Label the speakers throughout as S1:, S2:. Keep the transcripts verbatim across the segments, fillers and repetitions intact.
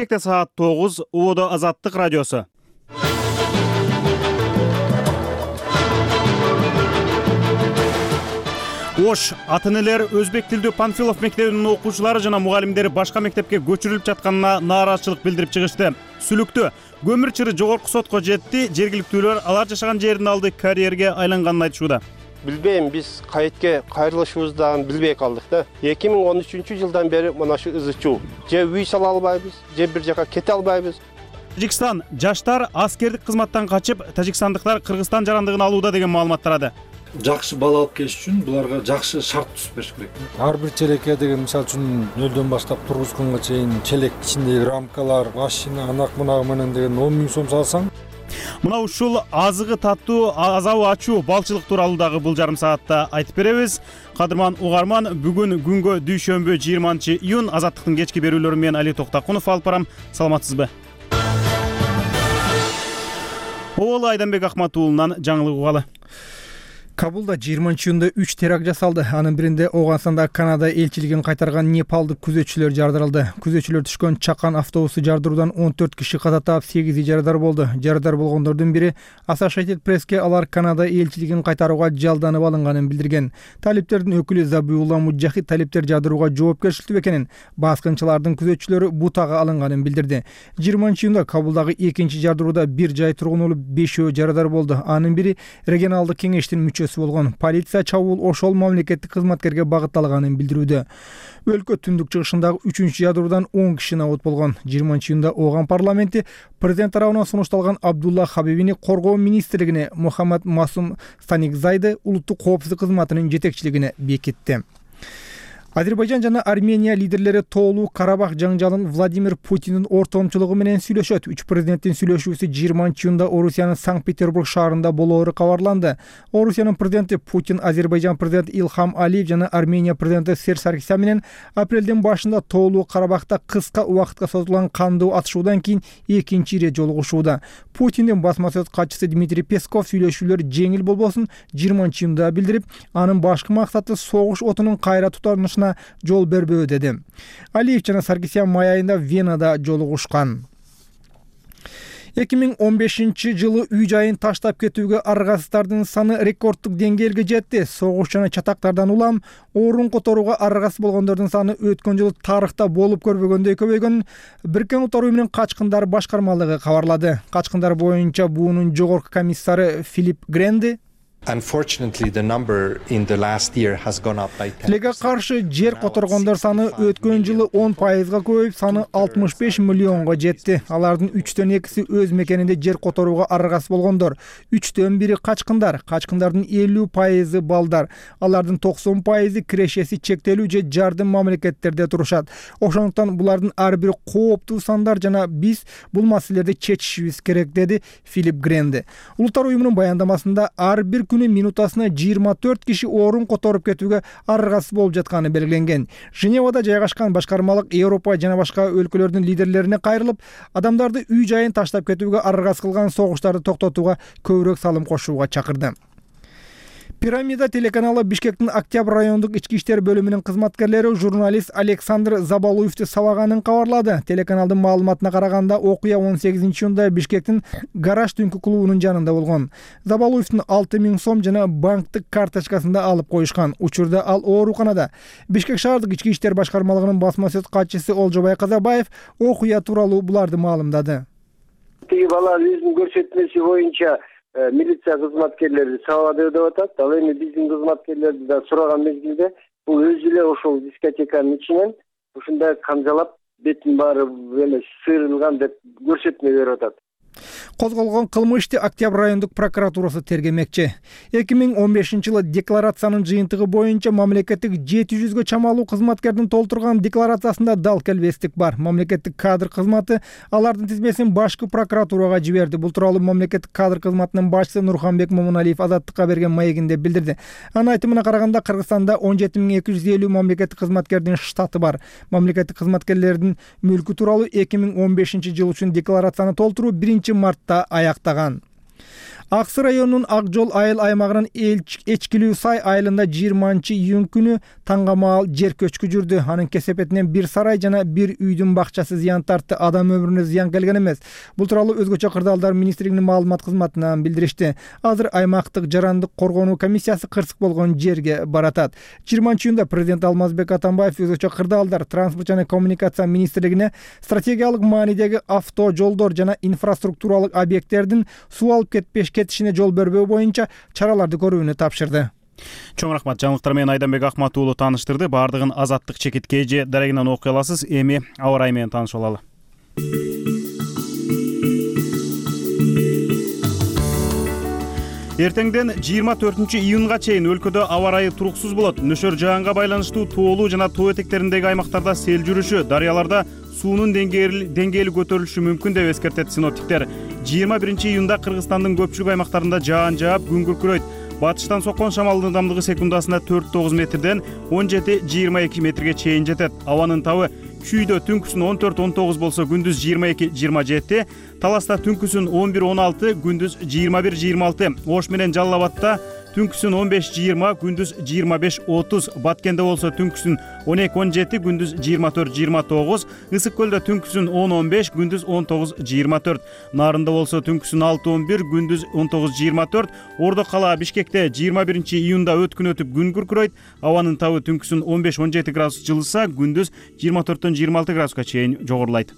S1: Бишкекте саат тогуз, Убодо Азаттык радиосу. Ош ата-энелер өзбек тилдүү Панфилов мектебинин окуучулары жана мугалимдери башка мектепке көчүрүлүп жатканына нааразычылык билдирип чыгышты. Сүлүктө көмүр чыры жогорку сотко жетти. Жергиликтүүлөр алар жашаган жердин алды карьерге айланганын айтышууда.
S2: Билбейм, биз кайтке кайрылышыбыздан билбей калдык да. эки миң он үчүнчү жылдан бери мына шу ызычуу. Же үй сала албайбыз, же бир жака кете албайбыз.
S1: Тажикстан жаштар аскердик кызматтан качып, тажикстандыктар Кыргызстан жарандыгын алууда деген маалымат тарады.
S3: Жакшы бала алып келиш үчүн буларга жакшы шарт түзүп бериш керек.
S4: Ар бир челекке деген мисал үчүн нөлдөн баштап тургузганга чейин челек ичиндеги рамкалар, машина, анак мунагы менен деген он миң сом салсаң.
S1: Мына ушул азыгы таттуу, азабы ачуу балчылык тууралуу дагы бул жарым саатта айтып беребиз. Кадырман угарман, бүгүн күнгө дүйшөмбү жыйырманчы июнь Азаттыктын кечки берүүлөрү менен Али Токтакунов алып барам. Саламатсызбы? Оол Айданбек Акматуулунан жаңылык угалы.
S5: Кабулда жыйырманчы июнда үч теракт жасалды. Анын биринде Ооганстанда Канада элчилигин кайтарган непалдык күзөтчүлөр жардырылды. Күзөтчүлөр түшкөн чакан автобусу жардыруудан он төрт киши каза таап, сегизи жарадар болду. Жарадар болгондордун бири Associated Press'ке алар Канада элчилигин кайтарууга жалданып алынганын билдирген. Талиптердин өкүлү Забиулла Муджахид талиптер жардырууга жоопкерчиликтүү экенин, баскынчылардын күзөтчүлөрү бутага алынганын билдирди. жыйырманчы июнда Кабулдагы экинчи жардырууда бир жай тургун өлүп, бешөө жарадар болду. Анын бири регионалдык кеңештин мүчөсү болгон. Полиция чабуул ошол мамлекеттик кызматкерге багытталганын билдирүүдө. Өлкө түндүк чыгышындагы үчүнчү жадыруудан он киши набут болгон. жыйырманчы июнда Ооган парламенти президент тарабынан сунушталган Абдулла Хабибини коргоо министрлигине, Мухаммад Масум Станикзайды улуттук коопсуздук кызматынын жетекчилигине бекитти. Азербайжан жана Армения лидерлери тоолуу Карабах жаңжалын Владимир Путиндин ортомчулугу менен сүйлөшөт. Үч президенттин сүйлөшүүсү жыйырманчы июнда Орусиянын Санкт-Петербург шаарында болоору кабарланды. Орусиянын президенти Путин Азербайжан президенти Илхам Алиев жана Армения президенти Серж Саркисян менен апрелдин башында тоолуу Карабахта кыска убакытка созулган кандуу атышуудан кийин экинчи ирет жолугушууда. Путиндин басма сөз катчысы Дмитрий Песков сүйлөшүүлөр жеңил болбосун жыйырманчы июнда билдирип, анын башкы максаты согуш отунун кайра тутанышына жол бербөө деди. Алиев жана Саркисян май айында Венада жолугушкан. эки миң он бешинчи жылы үй жайын таштап кетүүгө аргасыздардын саны рекорддук деңгээлге жетти. Согуш жана чатактардан улам орун которууга аргасыз болгондордун саны өткөн жылы тарыхта болуп көрбөгөндөй көбөйгөнүн Бириккен Улуттар Уюмунун качкындар башкармалыгы кабарлады. Качкындар боюнча буунун жогорку комиссары Филипп Гренди
S6: Unfortunately, the number in the last year has gone up by ten percent.
S5: Тилеге каршы жер которгондор саны өткөн жылы он пайызга көбөйүп, саны алтымыш беш миллионго жетти. Алардын үчтөн экиси өз мекенинде жер которууга аргасыз болгондор. үчтөн бири качкындар. Качкындардын элүү пайызы балдар. Алардын токсон пайызы кирешеси чектелүү же жардым мамлекеттерде турушат. Ошондуктан булардын ар бири кооптуу сандар жана биз бул маселелерди чечишибиз керек, деди Филипп Гренди. Улуттар Уюмунун баяндамасында ар бир күнү минутасына жыйырма төрт киши орун которуп кетүүгө аргасыз болуп жатканы белгиленген. Женевада жайгашкан башкармалык Европа жана башка өлкөлөрдүн лидерлерине кайрылып, адамдарды үй жайын таштап кетүүгө аргасыз кылган согуштарды токтотууга көбүрөөк салым кошууга чакырды. Пирамида телеканалы Бишкектин Октябрь райондук ички иштер бөлүмүнүн кызматкерлери журналист Александр Забалуевди сабаганын кабарлады. Телеканалдын маалыматына караганда, окуя он сегизинчи июнда Бишкектин гараж түнкү клубунун жанында болгон. Забалуевдин алты миң сом жана банктык карточкасында алып коюшкан. Учурда ал ооруканада. Бишкек шаардык ички иштер башкармалыгынын басма сөз катчысы Олжобай Казабаев окуя тууралуу буларды маалымдады.
S7: Тиги бала өзүнүн көрсөтмөсү боюнча милиция кызматкерлери сабады деп атат. Ал эми биздин кызматкерлерди да сураган мезгилде бул өзү эле ошол дискотеканын ичинен ушундай камжалап бетин баары эме сыйрылган деп көрсөтмө берип атат.
S5: Козголгон кылмышты Октябрь райондук прокуратурасы тергемекчи. эки миң он бешинчи жылы декларациянын жыйынтыгы боюнча мамлекеттик жети жүзгө чамалуу кызматкердин толтурган декларациясында дал келбестик бар. Мамлекеттик кадр кызматы алардын тизмесин башкы прокуратурага жиберди. Бул тууралуу мамлекеттик кадр кызматынын башчысы Нурханбек Момуналиев Азаттыкка берген маегинде билдирди. Анын айтымына караганда, Кыргызстанда он жети миң эки жүз элүү мамлекеттик кызматкердин штаты бар. Мамлекеттик кызматкерлердин мүлкү тууралуу эки миң он бешинчи жыл үчүн декларацияны толтуруу биринчи мартта аяктаган. Ак Суу районунун Ак Жол айыл аймагынын Эчкилүү Сай айылында жыйырманчы июнь күнү таңга маал жер көчкү жүрдү. Анын кесепетинен бир сарай жана бир үйдүн бакчасы зыян тартты. Адам өмүрүнө зыян келген эмес. Бул тууралуу Өзгөчө кырдаалдар министрлигинин маалымат кызматынан билдиришти. Азыр аймактык жарандык коргонуу комиссиясы кырсык болгон жерге баратат. жыйырманчы июнда президент Алмазбек Атамбаев Өзгөчө кырдаалдар транспорт жана коммуникация министрлигине стратегиялык маанидеги авто жолдор жана инфраструктуралык объекттердин суу алып кетпеш кетишине жол бербөө боюнча чараларды көрүүнү тапшырды.
S1: Чоң рахмат. Жаңылыктар менен Айданбек Акмат уулу тааныштырды. Бардыгын Азаттык чекит кей же дарегинен окуй аласыз. Эми аба ырайы менен таанышып алалы. Эртеңден жыйырма төртүнчү июнга чейин өлкөдө аба ырайы туруксуз болот. Нөшөр жаганга байланыштуу тоолуу жана тоо этектериндеги аймактарда сел жүрүшү, дарыяларда суунун деңгээли көтөрүлүшү мүмкүн деп эскертет синоптиктер. жыйырма биринчи июнда Кыргызстандын көпчүлүк аймактарында жаан жаап, күн күркүрөйт. Батыштан соккон шамалдын ылдамдыгы секундасына төрт тогуз метрден он жети жыйырма эки метрге чейин жетет. Абанын табы Күйдө түнкүсүн он төрт он тогуз болсо, күндүз жыйырма эки жыйырма жети, Таласта түнкүсүн он бир он алты, күндүз жыйырма бир жыйырма алты, Ош менен Жалал Абадта түнкүсүн он беш жыйырма, күндүз жыйырма беш отуз, Баткенде болсо түнкүсүн он эки он жети, күндүз жыйырма төрт жыйырма тогуз, Ысык көлдө түнкүсүн он он беш, күндүз он тогуз жыйырма төрт, Нарында болсо түнкүсүн алты он бир, күндүз он тогуз жыйырма төрт, Ордо кала Бишкекте жыйырма биринчи июнда өткүн өтүп күн күркүрөйт, абанын табы түнкүсүн он беш он жети градус жылыса, күндүз жыйырма төрттөн жыйырма алты градуска чейин жогорулайт.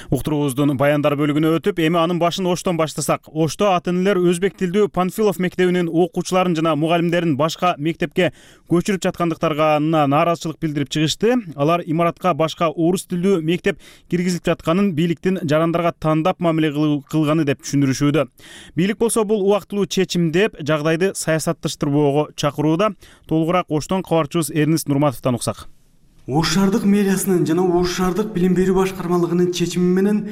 S1: Уктуруубуздун баяндар бөлүгүнө өтүп, эми анын башын Оштон баштасак. Ошто ата-энелер өзбек тилдүү Панфилов мектебинин окуучуларын жана мугалимдерин башка мектепке көчүрүп жаткандыктарга нааразычылык билдирип чыгышты. Алар имаратка башка орус тилдүү мектеп киргизилип жатканын бийликтин жарандарга тандап мамиле кылганы деп түшүндүрүшүүдө. Бийлик болсо бул убактылуу чечим деп жагдайды саясатташтырбоого чакырууда. Толугураак Оштон кабарчыбыз Эрнест Нурматовдон уксак.
S8: Ош шаардык мэриясынын жана Ош шаардык билим берүү башкармалыгынын чечими менен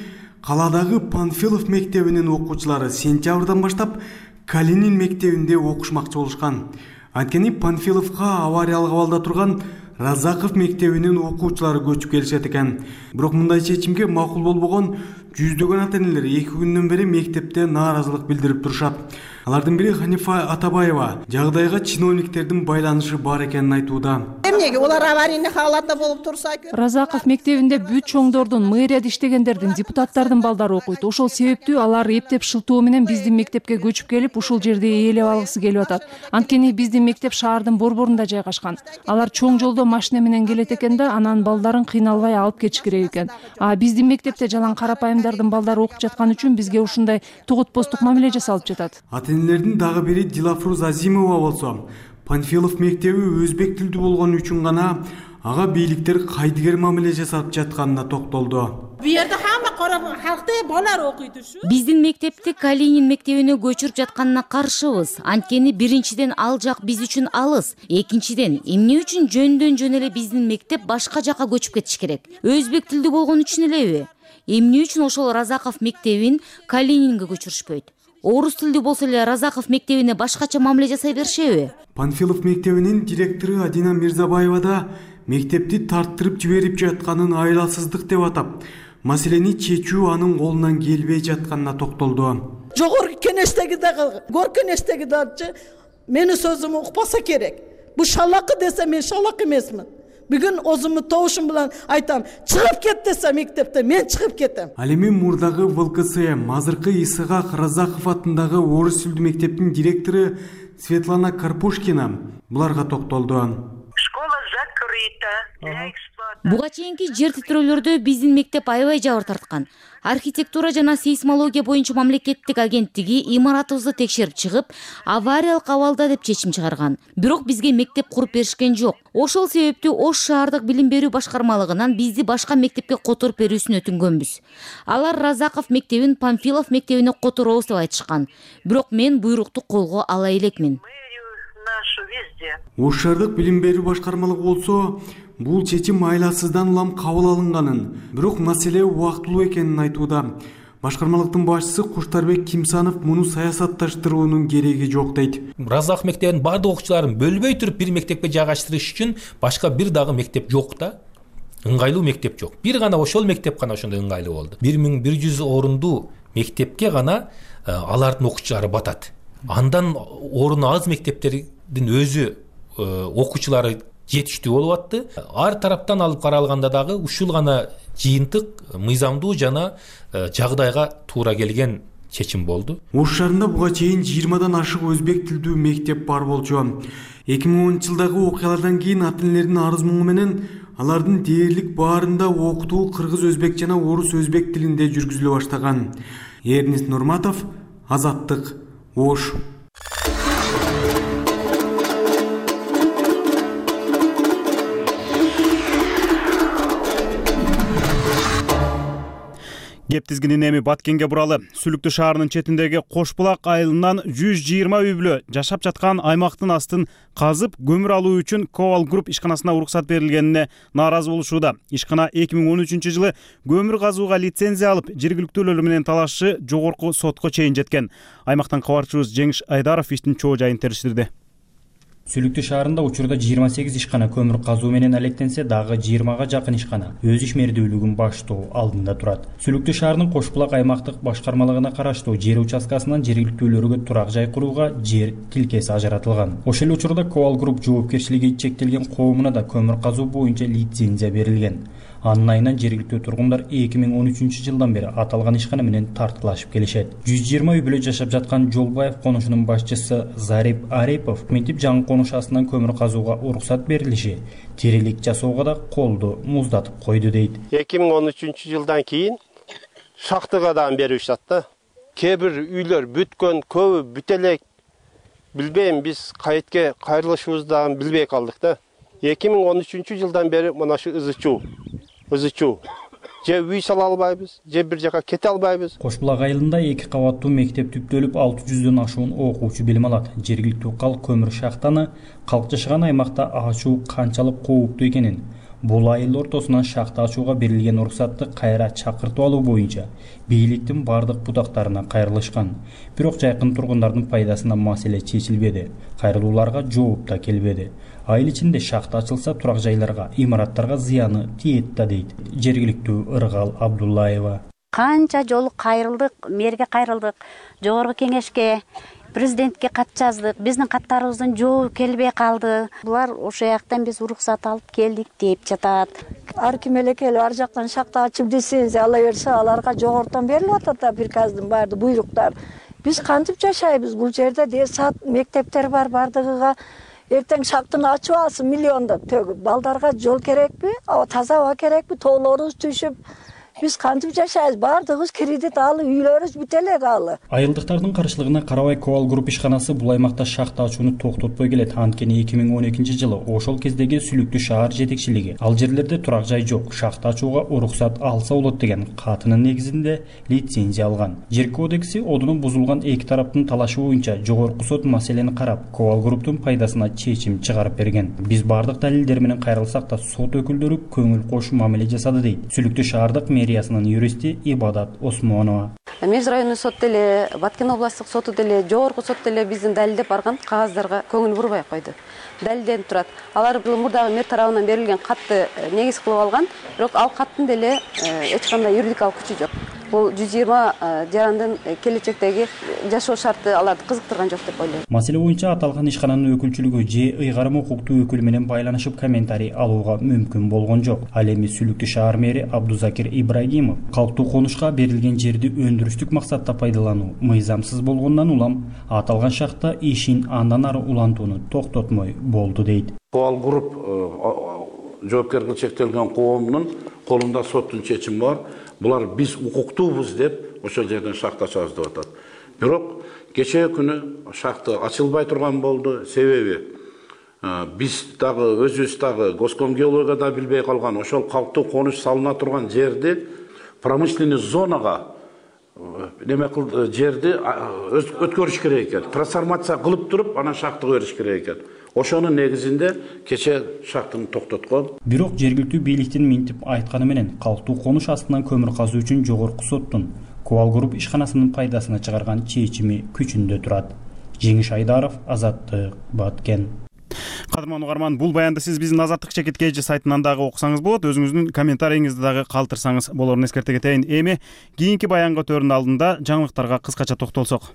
S8: каладагы Панфилов мектебинин окуучулары сентябрдан баштап Калинин мектебинде окушмакчы болушкан. Анткени Панфиловго авариялык абалда турган Разаков мектебинин окуучулары көчүп келишет экен. Бирок мындай чечимге макул болбогон жүздөгөн ата-энелер эки күндөн бери мектепте нааразылык билдирип турушат. Алардын бири Ханифа Атабаева жагдайга чиновниктердин байланышы бар экенин айтууда.
S9: Эмнеге олар аварийный халатта болуп турса?
S10: Разаков мектебинде бүт чоңдордун, мэрияда иштегендердин, депутаттардын балдары окуйт. Ошол себептүү алар эптеп шылтоо менен биздин мектепке көчүп келип, ушул жерде ээлеп алгысы келип атат. Анткени биздин мектеп шаардын борборунда жайгашкан. Алар чоң жолдо машина менен келет экен да, анан балдарын кыйналбай алып кетиш керек экен. А биздин мектепте жалаң карапайымдардын балдары окуп жаткан үчүн бизге ушундай тугут-постук мамиле жасалып жатат.
S8: Ата-энелердин дагы бири Дилафруз Азимова болсо, Панфилов мектеби өзбек тилдүү болгон үчүн гана ага бийликтер кайдыгер мамиле жасап жатканына токтолду.
S9: Бу жерде хамма кара халкты балдар окуйт ушу.
S11: Биздин мектепти Калинин мектебине көчүрүп жатканына каршыбыз. Анткени биринчиден ал жак биз үчүн алыс. Экинчиден, эмне үчүн жөндөн жөн эле биздин мектеп башка жака көчүп кетиш керек? Өзбек тилдүү болгон үчүн элеби? Эмне үчүн ошол Разаков мектебин Калининге көчүрүшпөйт? Орус тилдүү болсо эле Разаков мектебине башкача мамиле жасай беришеби?
S8: Панфилов мектебинин директору Адина Мирзабаева да мектепти тарттырып жиберип жатканын айласыздык деп атап, маселени чечүү анын колунан келбей жатканына токтолду.
S9: Жогорку кеңештеги дагы, гор кеңештеги дагы менин сөзүмдү укпаса керек. Бу шалакы десе мен шалак эмесмин. Бүгүн өзүмдү тоошум менен айтам, чыгып кет десе мектепте мен чыгып кетем.
S8: Ал эми мурдагы ВЛКСМ, азыркы Исыгак Разаков атындагы орус тилдүү мектептин директору Светлана Карпушкина буларга токтолду.
S12: Школа закрыта.
S11: Буга чейинки жер титирөөлөрдө биздин мектеп аябай жабыр тарткан. Архитектура жана сейсмология боюнча мамлекеттик агенттиги имаратыбызды текшерип чыгып, авариялык абалда деп чечим чыгарган. Бирок бизге мектеп куруп беришкен жок. Ошол себептүү Ош шаардык билим берүү башкармалыгынан бизди башка мектепке которуп берүүсүн өтүнгөнбүз. Алар Разаков мектебин Панфилов мектебине которобуз деп айтышкан. Бирок мен буйрукту колго ала элекмин.
S8: Ош шаардык билим берүү башкармалыгы болсо, бул чечим айласыздан улам кабыл алынганын, бирок маселе убактылуу экенин айтууда. Башкармалыктын башчысы Куштарбек Кимсанов муну саясатташтыруунун кереги жок дейт.
S13: Разах мектебинин бардык окуучуларын бөлбөй туруп бир мектепке жайгаштырыш үчүн башка бир дагы мектеп жок да. Ыңгайлуу мектеп жок. Бир гана ошол мектеп гана ошондой ыңгайлуу болду. бир миң бир жүз орундуу мектепке гана алардын окуучулары батат. Андан оруну аз мектептердин өзү окуучулары жетиштүү болуп атты. Ар тараптан алып каралганда дагы ушул гана жыйынтык мыйзамдуу жана жагдайга туура келген чечим болду.
S8: Ош шаарында буга чейин жыйырмадан ашык өзбек тилдүү мектеп бар болчу. эки миң онунчу жылдагы окуялардан кийин ата-энелердин арыз муңу менен алардын дээрлик баарында окутуу кыргыз өзбек жана орус өзбек тилинде жүргүзүлө баштаган. Эрнис Нурматов, Азаттык, Ош.
S1: Кеп тизгинин эми Баткенге буралы. Сүлүктүү шаарынын четиндеги Кошбулак айылынан жүз жыйырма үй бүлө жашап жаткан аймактын астын казып көмүр алуу үчүн Ковал Групп ишканасына уруксат берилгенине нааразы болушууда. Ишкана эки миң он үчүнчү жылы көмүр казууга лицензия алып, жергиликтүүлөр менен талашчы жогорку сотко чейин жеткен. Аймактан кабарчыбыз Жеңиш Айдаров иштин чоо жайын териштирди.
S14: Сүлүктүү шаарында учурда жыйырма сегиз ишкана көмүр казуу менен алектенсе, дагы жыйырмага жакын ишкана өз ишмердүүлүгүн баштоо алдында турат. Сүлүктүү шаарынын Кошбулак аймактык башкармалыгына караштуу жер участкасынан жергиликтүүлөргө турак жай курууга жер тилкеси ажыратылган. Ошол эле учурда Ковал Групп жоопкерчилиги чектелген коомуна да көмүр казуу боюнча лицензия берилген. Анын айынан жергиликтүү тургундар эки миң он үчүнчү жылдан бери аталган ишкана менен тартылашып келишет. жүз жыйырма үй бүлө жашап жаткан Жолбаев конушунун башчысы Зарип Арипов мынтип жаңы конуш астынан көмүр казууга уруксат берилиши тирилик жасоого да колду муздатып койду дейт.
S2: эки миң он үчүнчү жылдан кийин шахтага дагы беришет да. Кээ бир үйлөр бүткөн, көбү бүтө элек. Билбейм, биз кайтке кайрылышыбызды билбей калдык да. эки миң он үчүнчү жылдан бери мына ушу ызычуу ызычуу же үй сала албайбыз, же бир жака кете албайбыз.
S14: Кошбулак айылында эки кабаттуу мектеп түптөлүп алты жүздөн ашуун окуучу билим алат. Жергиликтүү калк көмүр шахтаны калк жашаган аймакта ачуу канчалык кооптуу экенин, бул айыл ортосунан шахта ачууга берилген уруксатты кайра чакыртып алуу боюнча бийликтин бардык бутактарына кайрылышкан. Бирок жайкын тургундардын пайдасына маселе чечилбеди. Кайрылууларга жооп да келбеди. Айыл ичинде шахта ачылса турак жайларга, имараттарга зыяны тиет да дейт жергиликтүү Ыргал Абдуллаева.
S15: Канча жолу кайрылдык, мэрге кайрылдык, жогорку кеңешке, президентке кат жаздык. Биздин каттарыбыздын жообу келбей калды. Булар ошол жактан биз уруксат алып келдик деп жатат.
S16: Ар ким эле келип ар жактан шахта ачып лицензия ала берсе, аларга жогортон берилип атат да приказдын баарды буйруктар. Биз кантип жашайбыз бул жерде? Десат мектептер бар, бардыгыга эртең шахтаны ачып алсын миллиондоп төгүп. Балдарга жол керекпи? Таза аба керекпи? Тоолорубуз түшүп, биз кантип жашайбыз? Бардыгыбыз кредит алып, үйлөрүбүз бүтө элек алы.
S14: Айылдыктардын каршылыгына карабай Ковал Групп ишканасы бул аймакта шахта ачууну токтотпой келет. Анткени эки миң он экинчи жылы ошол кездеги Сүлүктүү шаар жетекчилиги ал жерлерде турак жай жок, шахта ачууга уруксат алса болот деген катынын негизинде лицензия алган. Жер кодекси одуну бузулган эки тараптын талашы боюнча жогорку сот маселени карап, Ковал Групптун пайдасына чечим чыгарып берген. Биз бардык далилдер менен кайрылсак да сот өкүлдөрү көңүл кош мамиле жасады дейт Сүлүктүү шаардык мэриясынын юристи Ибадат Осмонова.
S17: Меж райондук сот деле, Баткен областтык соту деле, жогорку сот деле биздин далилдеп барган кагаздарга көңүл бурбай койду. Далилденип турат. Алар бул мурдагы мэр тарабынан берилген катты негиз кылып алган, бирок ал каттын деле эч кандай юридикалык күчү жок. Бул жүз жыйырма жарандын келечектеги жашоо шарты аларды кызыктырган жок деп ойлойм.
S14: Маселе боюнча аталган ишкананын өкүлчүлүгү же ыйгарым укуктуу өкүл менен байланышып комментарий алууга мүмкүн болгон жок. Ал эми Сүлүктүү шаар мэри Абдузакир Ибрагимов калктуу конушка берилген жерди өндүрүштүк максатта пайдалануу мыйзамсыз болгондон улам аталган шахта ишин андан ары улантууну токтотмой болду дейт.
S18: Ковал Групп жоопкерчилиги чектелген коомдун колунда соттун чечими бар. Булар биз укуктуубуз деп ошол жерден шахта ачабыз деп атат. Бирок кечээ күнү шахта ачылбай турган болду. Себеби биз дагы өзүбүз дагы госкомгеология да билбей калган. Ошол калктуу конуш салына турган жерди промышленный зонага неме кыл жерди өткөрүш керек экен. Трансформация кылып туруп, анан шахтага бериш керек экен. Ошонун негизинде кече шахтаны токтоткон.
S14: Бирок жергиликтүү бийликтин минтип айтканы менен калктуу конуш астынан көмүр казуу үчүн жогорку соттун Кубал Групп ишканасынын пайдасына чыгарган чечими күчүндө турат. Жеңиш Айдаров, Азаттык, Баткен.
S1: Кадырман угарман, бул баянды сиз биздин Азаттык чекит кей жи сайтынан дагы окусаңыз болот. Өзүңүздүн комментарийиңизди дагы калтырсаңыз болорун эскерте кетейин. Эми кийинки баянга өтөөрүнүн алдында жаңылыктарга кыскача токтолсок.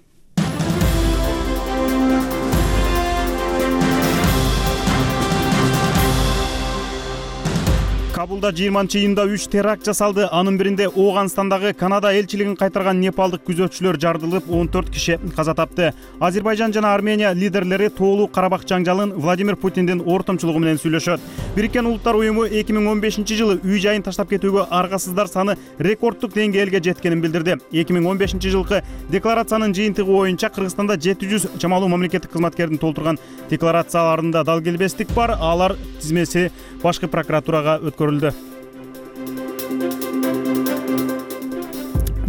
S1: Кабулда жыйырманчы июнда үч теракт жасалды. Анын биринде Ооганстандагы Канада элчилигин кайтарган непалдык күзөтчүлөр жардылып, он төрт киши каза тапты. Азербайжан жана Армения лидерлери тоолуу Карабак жаңжалын Владимир Путиндин ортомчулугу менен сүйлөшөт. Бириккен Улуттар уюму эки миң он бешинчи жылы үй жайын таштап кетүүгө аргасыздар саны рекорддук деңгээлге жеткенин билдирди. эки миң он бешинчи жылкы декларациянын жыйынтыгы боюнча Кыргызстанда жети жүз чамалуу мамлекеттик кызматкердин толтурган декларацияларында дал келбестик бар. Алар тизмеси башкы прокуратурага өткөрүлдү.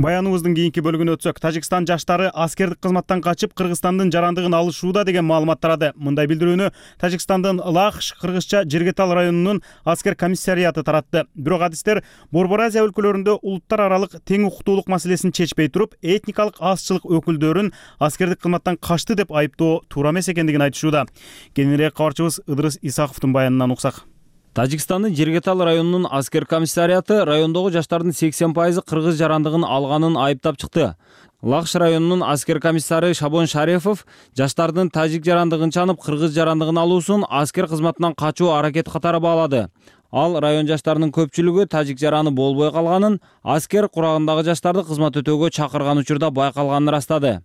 S1: Баяныбыздын кийинки бөлүгүнө өтсөк, Тажикстан жаштары аскердик кызматтан качып Кыргызстандын жарандыгын алышууда деген маалымат тарады. Мындай билдирүүнү Тажикстандын Лахш кыргызча Жергетал районунун аскер комиссариаты таратты. Бирок адистер Борбор Азия өлкөлөрүндө улуттар аралык тең укуктуулук маселесин чечпей туруп, этникалык азчылык өкүлдөрүн аскердик кызматтан качты деп айыптоо туура эмес экендигин айтышууда. Кененирээк кабарчыбыз Ыдырыс Исаковдун баянынан уксак.
S19: Тажикстандын Жергетал районунун аскер комиссариаты райондогу жаштардын сексен пайызы кыргыз жарандыгын алганын айыптап чыкты. Лахш районунун аскер комиссары Шабон Шарефов жаштардын тажик жарандыгын чанып кыргыз жарандыгын алуусун аскер кызматынан качуу аракети катары баалады. Ал район жаштарынын көпчүлүгү тажик жараны болбой калганын, аскер курагындагы жаштарды кызмат өтөөгө чакырган учурда байкалганын ырастады.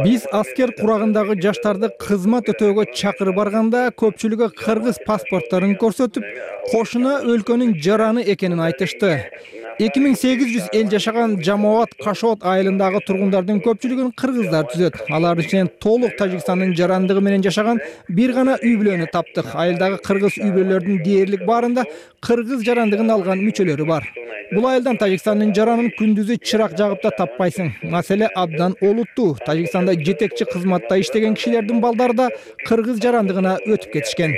S5: Биз аскер курагындагы жаштарды кызмат өтөөгө чакырып барганда көпчүлүгү кыргыз паспортторун көрсөтүп, кошуна өлкөнүн жараны экенин айтышты. эки миң сегиз жүз эл жашаган Жамоат Кашот айылындагы тургундардын көпчүлүгүн кыргыздар түзөт. Алардын ичинен толук Тажикстандын жарандыгы менен жашаган бир гана үй бүлөнү таптык. Айылдагы кыргыз үй бүлөлөрдүн дээрлик баарында кыргыз жарандыгын алган мүчөлөрү бар. Бул айылдан Тажикстандын жаранын күндүзү чырак жагып да таппайсың. Маселе абдан олуттуу. Тажикстанда жетекчи кызматта иштеген кишилердин балдары да кыргыз жарандыгына өтүп кетишкен.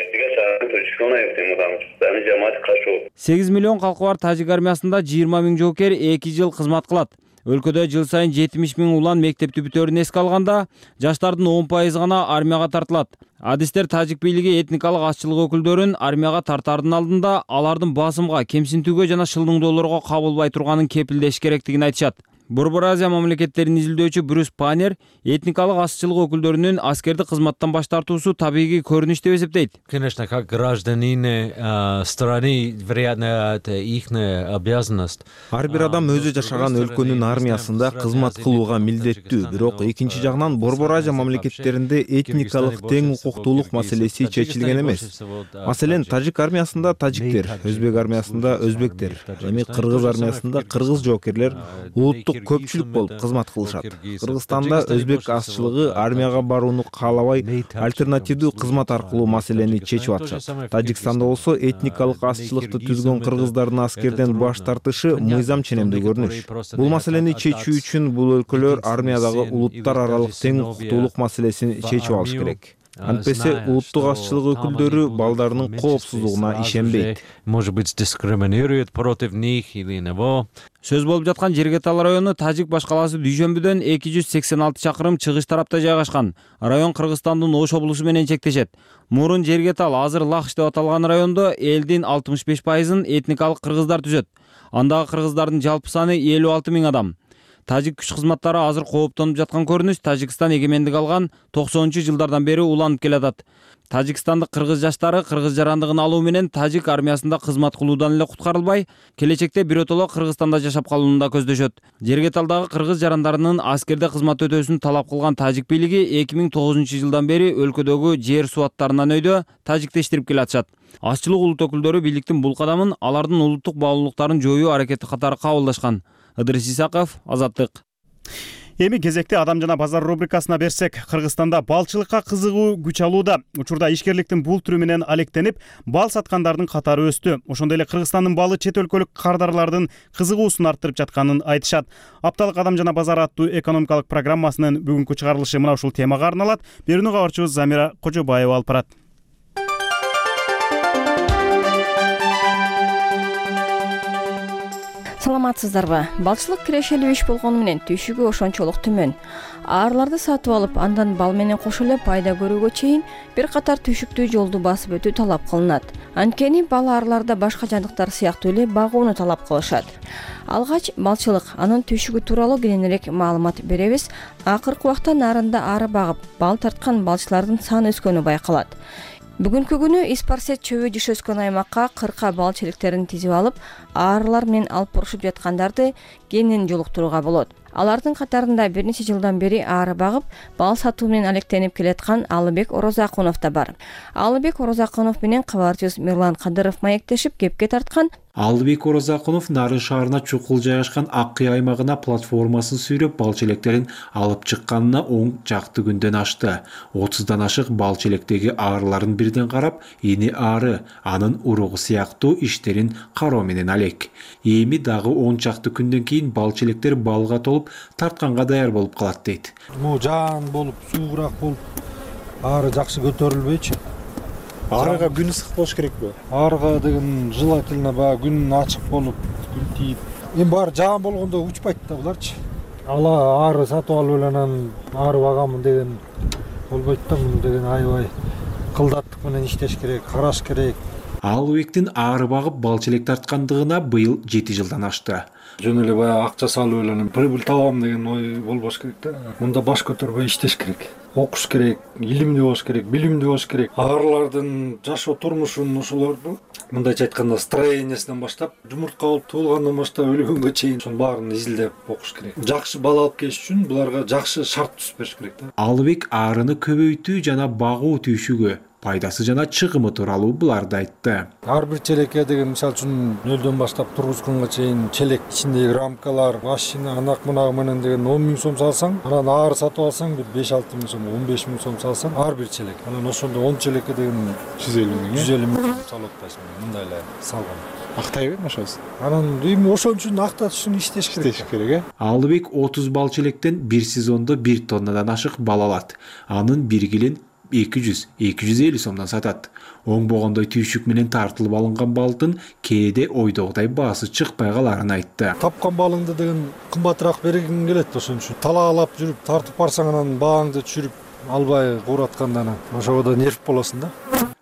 S19: сегиз миллион калкы бар тажик армиясында жыйырма миң жоокер эки жыл кызмат кылат. Өлкөдө жыл сайын жетимиш миң улан мектепти бүтөөрүн эске алганда, жаштардын он пайызы гана армияга тартылат. Адистер тажик бийлиги этникалык азчылык өкүлдөрүн армияга тартаардын алдында алардын басымга, кемсинтүүгө жана шылдыңдоолорго кабылбай турганын кепилдеш керектигин айтышат. Борбор Азия мамлекеттерин изилдөөчү Брюс Панер этникалык азчылык өкүлдөрүнүн аскердик кызматтан баш тартуусу табигый көрүнүш деп эсептейт.
S20: Конечно, как гражданин страны, вероятно, это их обязанность.
S21: Ар бир адам өзү жашаган өлкөнүн армиясында кызмат кылууга милдеттүү. Бирок экинчи жагынан Борбор Азия мамлекеттеринде этникалык тең укуктуулук маселеси чечилген эмес. Маселен, тажик армиясында тажиктер, өзбек армиясында өзбектер, эми кыргыз армиясында кыргыз жоокерлер улуттук көпчүлүк болуп кызмат кылышат. Кыргызстанда өзбек азчылыгы армияга барууну каалабай, альтернативдүү кызмат аркылуу маселени чечип атышат. Тажикстанда болсо этникалык азчылыкты түзгөн кыргыздардын аскерден баш тартышы мыйзам ченемдүү көрүнүш. Бул маселени чечүү үчүн бул өлкөлөр армиядагы улуттар аралык тең укуктуулук маселесин чечип алыш керек. Антпесе улуттук азчылык өкүлдөрү балдарынын коопсуздугуна ишенбейт.
S20: Может быть, дискриминирует против них или него.
S19: Сөз болуп жаткан Жергетал району Тажик башкаласы Дүйшөмбүдөн эки жүз сексен алты чакырым чыгыш тарапта жайгашкан. Район Кыргызстандын Ош облусу менен чектешет. Мурун Жергетал, азыр Лахш деп аталган райондо элдин алтымыш беш пайызын этникалык кыргыздар түзөт. Андагы кыргыздардын жалпы саны элүү алты миң адам. Тажик күч кызматтары азыр кооптонуп жаткан көрүнүш Тажикстан эгемендик алган токсонунчу жылдардан бери уланып келатат. Тажикстандык кыргыз жаштары кыргыз жарандыгын алуу менен тажик армиясында кызмат кылуудан эле куткарылбай, келечекте биротоло Кыргызстанда жашап калууну да көздөшөт. Жергеталдагы кыргыз жарандарынын аскерде кызмат өтөөсүн талап кылган тажик бийлиги эки миң тогузунчу жылдан бери өлкөдөгү жер суу аттарынан өйдө тажикти иштирип келатышат. Азчылык улут өкүлдөрү бийликтин бул кадамын алардын улуттук баалуулуктарын жоюу аракети катары кабылдашкан. Ыдырыс Исаков, Азаттык.
S1: Эми кезекте Адам жана базар рубрикасына берсек, Кыргызстанда балчылыкка кызыгуу күч алууда. Учурда ишкерликтин бул түрү менен алектенип, бал саткандардын катары өстү. Ошондой эле Кыргызстандын балы чет өлкөлүк кардарлардын кызыгуусун арттырып жатканын айтышат. Апталык Адам жана базар аттуу экономикалык программасынын бүгүнкү чыгарылышы мына ушул темага арналат. Берүүнү кабарчыбыз Замира Кожобаева алып барат.
S3: саламатсыздарбы? Балчылык кирешелүү иш болгону менен түйшүгү ошончолук төмөн. Аарыларды сатып алып, андан бал менен кошо эле пайда көрүүгө чейин бир катар түйшүктүү жолду басып өтүү талап кылынат. Анткени бал аарыларда башка жандыктар сыяктуу эле багууну талап кылышат. Алгач балчылык, анын түйшүгү тууралуу кененирээк маалымат беребиз. Акыркы убакта нарында ары багып, бал тарткан балчылардын саны өскөнү байкалат. Бүгүнкү күнү Испарсет чөбү жыш өскөн аймакка кырка бал челектерин тизип алып, аарылар менен алып бурушуп жаткандарды кенен жолуктурууга болот. Алардын катарында бир нече жылдан бери ары багып, бал сатуу менен алектенип келаткан Алыбек Орозакунов да бар. Алыбек Орозакунов менен кабарчыбыз Мирлан Кадыров маектешип кепке тарткан.
S22: Алыбек Орозакунов Нарын шаарына чукул жайгашкан Ак Кый аймагына платформасын сүйрөп бал челектерин алып чыкканына он жакты күндөн ашты. отуздан ашык бал челектеги аарыларын бирден карап, эни ары, анын уругу сыяктуу иштерин кароо менен алек. Эми дагы он жакты күндөн кийин бал челектер балга толуп тартканга даяр болуп калат дейт.
S4: Могу жаан болуп, суугураак болуп, ары жакшы көтөрүлбөйчү.
S1: Арыга күн ысык болуш керекпи?
S4: Арыга деген желательно баягы күн ачык болуп, күн тийип. Эми баары жаан болгондо учпайт да буларчы. Ала ары сатып алып эле анан ары багамын деген болбойт да, муну деген аябай кылдаттык менен иштеш керек, караш керек.
S22: Алыбектин ары багып бал челек тарткандыгына быйыл жети жылдан ашты.
S4: Жөн эле баягы акча салып эле прибыль табам деген ой болбош керек да. Мында баш көтөрбөй иштеш керек. Окуш керек, илимдүү болуш керек, билимдүү болуш керек. Аарылардын жашоо турмушун ошолорду мындайча айтканда строениясынан баштап, жумуртка болуп туулгандан баштап өлгөнгө чейин ошонун баарын изилдеп окуш керек. Жакшы бал алып келиш үчүн буларга жакшы шарт түзүп бериш керек да.
S22: Алыбек арыны көбөйтүү жана багуу түйшүгү, пайдасы жана чыгымы тууралуу буларды айтты.
S4: Ар бир челекке деген мисалы үчүн нөлдөн баштап тургузганга чейин челек ичиндеги рамкалар, машина, анак мунагы менен деген он миң сом салсаң, анан ары сатып алсаң бир беш алты миң сом, он беш миң сом салсаң, ар бир челек. Анан ошондо он челекке деген
S1: жүз элүү миң,
S4: жүз элүү миң салып атпайсың, мындай эле салган.
S1: Актайбы ошоңуз?
S4: Анан эми ошон үчүн акташ үчүн иштеш керек.
S22: Иштеш керек, э? Алыбек отуз бал челектен бир сезондо бир тоннадан ашык бал алат. Анын бир килин эки жүз — эки жүз элүү сомдон сатат. Оңбогондой түйшүк менен тартылып алынган балдын кээде ойдогудай баасы чыкпай каларын айтты.
S4: Тапкан балыңды деген кымбатыраак бергиң келет, ошон үчүн талаалап жүрүп тартып барсаң анан бааңды түшүрүп албай кууратканда анан ошого да нерв болосуң да.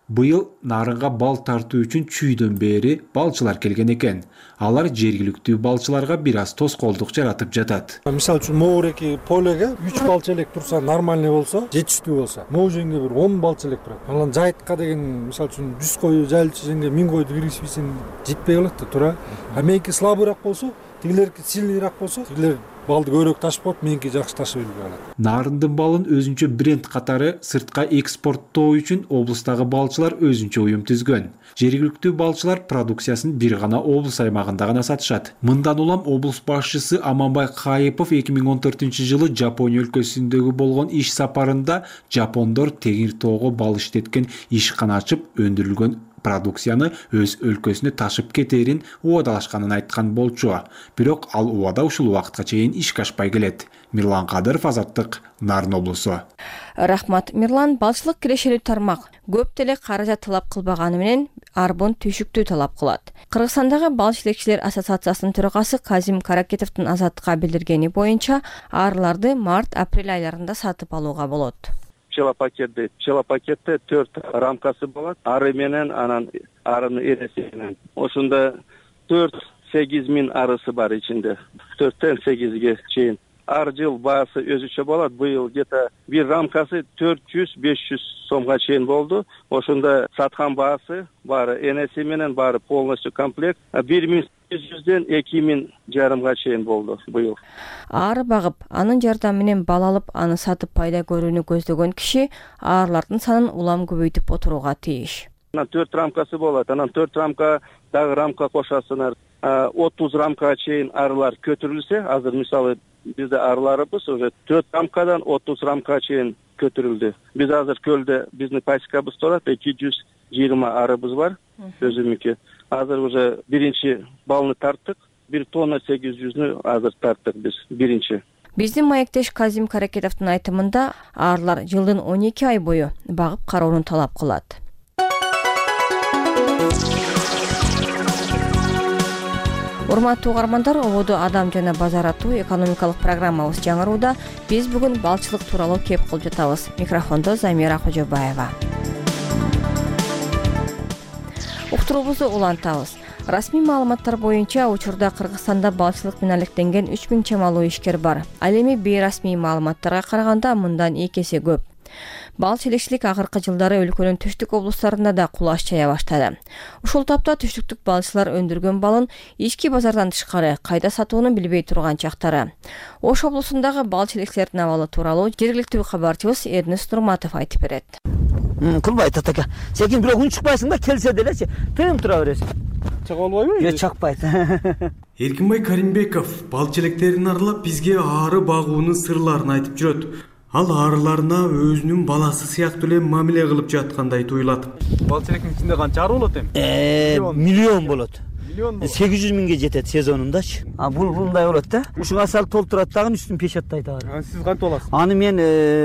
S22: Быйыл нарынга бал тартуу үчүн чүйдөн бери балчылар келген экен. Алар жергиликтүү балчыларга бир аз тоскоолдук жаратып жатат.
S4: Мисалы үчүн могуреки полеге үч бал челек турса, нормальный болсо, жетиштүү болсо, могу жерге бир он бал челек турат. Анан жайтка деген мисалы үчүн жүз кой жайылчу жерге миң койду киргизбесең жетпей калат да, туура. А меники слабыйраак болсо, тигилерки сильныйраак болсо, тигилер балды көбүрөөк ташып коет, меники жакшы ташып элбей калат.
S22: Нарындын балын өзүнчө бренд катары сыртка экспорттоо үчүн облустагы балчылар өзүнчө уюм түзгөн. Жергиликтүү балчылар продукциясын бир гана облус аймагында гана сатышат. Мындан улам облус башчысы Аманбай Кайыпов эки миң он төртүнчү жылы Жапония өлкөсүндөгү болгон иш сапарында жапондор Теңир тоого бал иштеткен ишкана ачып, өндүрүлгөн продукцияны өз өлкөсүнө ташып кетерин убадалашканын айткан болчу. Бирок ал убада ушул убакытка чейин ишке ашпай келет. Мирлан Кадыров, Азаттык, Нарын облусу.
S3: Рахмат, Мирлан. Балчылык кирешелүү тармак көп деле каражат талап кылбаганы менен арбон түйшүктүү талап кылат. Кыргызстандагы бал челекчилер ассоциациясынын төрагасы Казим Каракетовдун Азаттыкка билдиргени боюнча, аарыларды март-апрель айларында сатып алууга болот.
S23: Пчелопакет дейт. Пчелопакетте төрт рамкасы болот. Ары менен анан арынын эреси менен. Ошондо төрт сегиз миң арысы бар ичинде. төрттөн сегизге чейин. Ар жыл баасы өзүчө болот. Быйыл где-то бир рамкасы төрт жүз — беш жүз сомго чейин болду. Ошондо саткан баасы баары энеси менен баары полностью комплект бир миң сегиз жүздөн эки миң жарымга чейин болду быйыл.
S3: Ары багып, анын жардамы менен бал алып, аны сатып пайда көрүүнү көздөгөн киши аарылардын санын улам көбөйтүп отурууга тийиш.
S23: Анан төрт рамкасы болот. Анан төрт рамка дагы рамка кошасыңар. отуз рамкага чейин арылар көтөрүлсө, азыр мисалы бизде арыларыбыз уже төрт рамкадан отуз рамкага чейин көтөрүлдү. Биз азыр көлдө биздин пасекабыз турат, эки жүз жыйырма арыбыз бар өзүмүнкү. Азыр уже биринчи балны тарттык, бир тонна сегиз жүздү азыр тарттык биз биринчи.
S3: Биздин маектеш Казим Каракетовдун айтымында аарылар жылдын он эки ай бою багып кароону талап кылат. Урматтуу угармандар, ободу адам жана базар аттуу экономикалык программабыз жаңырууда. Биз бүгүн балчылык тууралуу кеп кылып жатабыз. Микрофондо Замира Кожобаева. Уктуруубузду улантабыз. Расмий маалыматтар боюнча учурда Кыргызстанда балчылык менен алектенген үч миң чамалуу ишкер бар. Ал эми бейрасмий маалыматтарга караганда мындан эки эсе көп. Бал челекчилик акыркы жылдары өлкөнүн түштүк облустарында да кулаш чая баштады. Ушул тапта түштүктүк балчылар өндүргөн балын ички базардан тышкары кайда сатууну билбей турган чактары. Ош облусундагы бал челекчилердин абалы тууралуу жергиликтүү кабарчыбыз Эрнест Нурматов айтып берет.
S6: Кылбайт атака. Секин бирок үн чыкпайсың да, келсе делечи. Тыйым тура бересиң. Чыга албайбы? Жок, чакпайт.
S8: Эркинбай Каримбеков бал челектерин аралап бизге ары багуунун сырларын айтып жүрөт. Ал арыларына өзүнүн баласы сыяктуу эле мамиле кылып жаткандай туюлат.
S7: Бал челектин ичинде канча ары болот эми?
S6: Э, миллион болот. сегиз жүз миңге жетет сезонундачы. А бул мындай болот да. Ушуга салып толтурат дагы үстүн печаттайт ары.
S7: А сиз кантип аласыз?
S6: Аны мен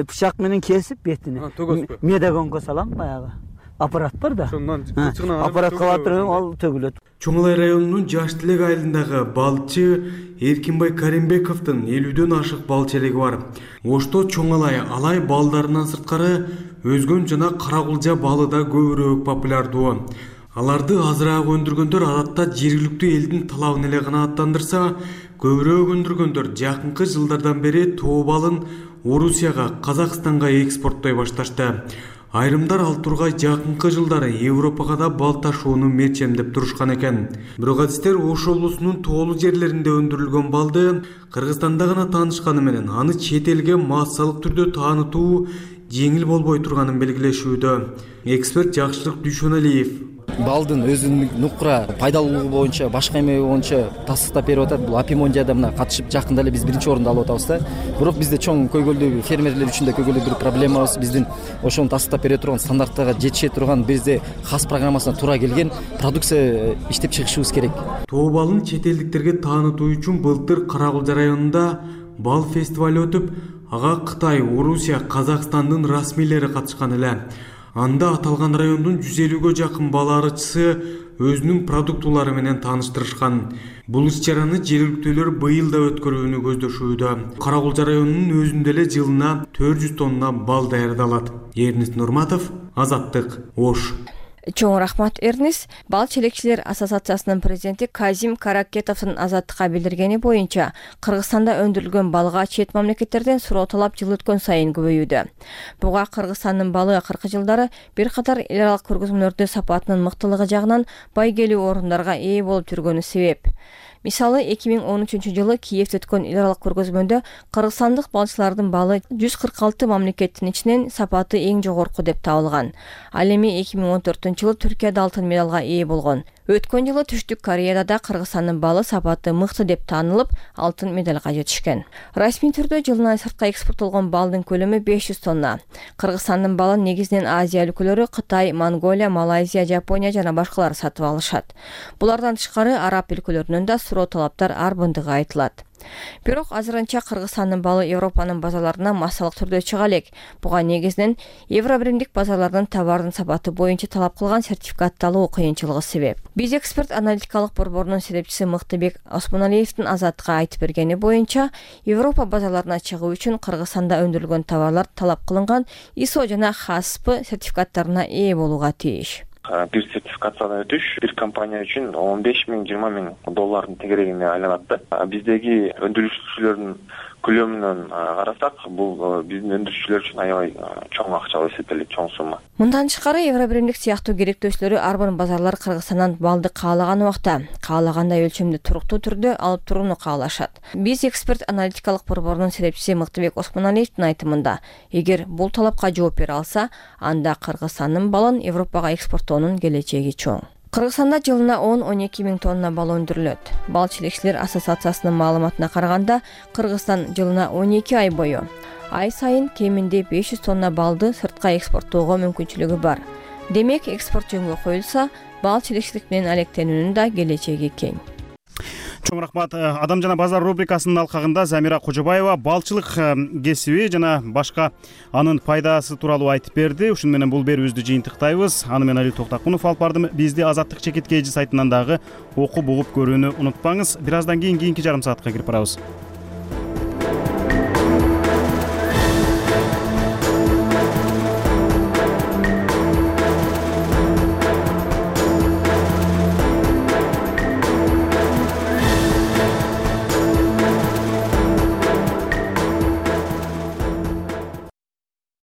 S6: бычак менен кесип бетине.
S7: Төгөсүзбү?
S6: Медагонго салам баягы. Аппарат бар да.
S7: Ошондон кылчыгынан
S6: аппарат кылатырып ал төгүлөт.
S8: Чоң Алай районунун Жаш Тилек айылындагы балчы Эркинбай Каримбековдун элүүдөн ашык бал челеги бар. Ошто Чоң Алай алай балдарынан сырткары өзгөн жана каракулжа балы да көбүрөөк популярдуу. Аларды азыраак өндүргөндөр адатта жергиликтүү элдин талабын эле канааттандырса, көбүрөөк өндүргөндөр жакынкы жылдардан бери тоо балын Орусияга, Казакстанга экспорттой башташты. Айрымдар ал тургай жакынкы жылдары Европага да бал ташууну мерчемдеп турушкан экен. Бирок адистер Ош облусунун тоолуу жерлеринде өндүрүлгөн балды Кыргызстанда гана таанышканы менен аны чет элге массалык түрдө таанытуу жеңил болбой турганын белгилешүүдө. Эксперт Жакшылык Дүйшөналиев
S10: балдын өзүнүн нукура пайдалуулугу боюнча, башка эме боюнча тастыктап берип атат. Бул Апимонжада мына катышып жакында эле биз биринчи орунду алып атабыз да. Бирок бизде чоң көйгөлдүү фермерлер үчүн да көйгөлдүү бир проблемабыз. Биздин ошону тастыктап бере турган, стандарттарга жетише турган, бизде хас программасына туура келген продукция иштеп чыгышыбыз керек.
S8: Тоо балын чет элдиктерге таанытуу үчүн былтыр Каракулжа районунда бал фестивалы өтүп, ага Кытай, Орусия, Казакстандын расмийлери катышкан эле. Анда аталган райондун жүз элүүгө жакын бал арычысы өзүнүн продуктулары менен тааныштырышкан. Бул иш-чараны жергиликтүүлөр быйыл да өткөрүүнү көздөшүүдө. Каракулжа районунун өзүндө эле жылына төрт жүз тонна бал даярдалат. Эрнест Нурматов, Азаттык, Ош.
S3: Чоң рахмат, Эрнест. Бал челекчилер ассоциациясынын президенти Казим Каракетовдун Азаттыкка билдиргени боюнча, Кыргызстанда өндүрүлгөн балга чет мамлекеттерден суроо талап жыл өткөн сайын көбөйүүдө. Буга Кыргызстандын балы акыркы жылдары бир катар эл аралык көргөзмөлөрдө сапатынын мыктылыгы жагынан байгелүү орундарга ээ болуп жүргөнү себеп. Мисалы, эки миң он үчүнчү жылы Киевде өткөн эл аралык көргөзмөдө кыргызстандык балчылардын балы жүз кырк алты мамлекеттин ичинен сапаты эң жогорку деп табылган. Ал эми эки миң он төртүнчү жылы Түркияда алтын медалга ээ болгон. Өткөн жылы Түштүк Кореяда да Кыргызстандын балы сапаты мыкты деп таанылып, алтын медалга жетишкен. Расмий түрдө жылына сыртка экспорттолгон балдын көлөмү беш жүз тонна. Кыргызстандын балын негизинен Азия өлкөлөрү Кытай, Монголия, Малайзия, Жапония жана башкалар сатып алышат. Булардан тышкары араб өлкөлөрүнөн да суроо талаптар арбындыгы айтылат. Бирок азырынча Кыргызстандын балы Европанын базарларына массалык түрдө чыга элек. Буга негизинен Евробиримдик базарлардын товардын сапаты боюнча талап кылган сертификатталуу кыйынчылыгы себеп. Биз эксперт аналитикалык борборунун серепчиси Мыктыбек Осмоналиевдин Азаттыкка айтып бергени боюнча, Европа базарларына чыгуу үчүн Кыргызстанда өндүрүлгөн товарлар талап кылынган ай эс о жана эйч эй эс пи сертификаттарына ээ болууга тийиш.
S24: Бир сертификациядан өтүш бир компания үчүн он беш миң жыйырма миң доллардын тегерегине айланат да. Биздеги өндүрүүчүлөрдүн көлөмүнөн карасак, бул биздин өндүрүүчүлөр үчүн аябай чоң акча болуп эсептелет, чоң сумма.
S3: Мындан тышкары Евробиримдик сыяктуу керектөөчүлөрү арбын базарлар Кыргызстандан балды каалаган убакта, каалагандай өлчөмдө туруктуу түрдө алып турууну каалашат. Биз эксперт аналитикалык борборунун серепчиси Мыктыбек Осмоналиевдин айтымында, эгер бул талапка жооп бере алса, анда Кыргызстандын балын Европага экспорттоонун келечеги чоң. Кыргызстанда жылына он — он эки миң тонна бал өндүрүлөт. Бал челекчилер ассоциациясынын маалыматына караганда, Кыргызстан жылына он эки ай бою ай сайын кеминде беш жүз тонна балды сыртка экспорттоого мүмкүнчүлүгү бар. Демек, экспорт жөнгө коюлса, бал челекчилик менен алектенүүнүн да келечеги кең.
S1: Чоң рахмат. Адам жана базар рубрикасынын алкагында Замира Кожобаева балчылык кесиби жана башка анын пайдасы тууралуу айтып берди. Ушуну менен бул берүүбүздү жыйынтыктайбыз. Аны мен Али Токтакунов алып бардым. Бизди Азаттык чекит кей жи сайтынан дагы окуп угуп көрүүнү унутпаңыз. Бир аздан кийин кийинки жарым саатка кирип барабыз.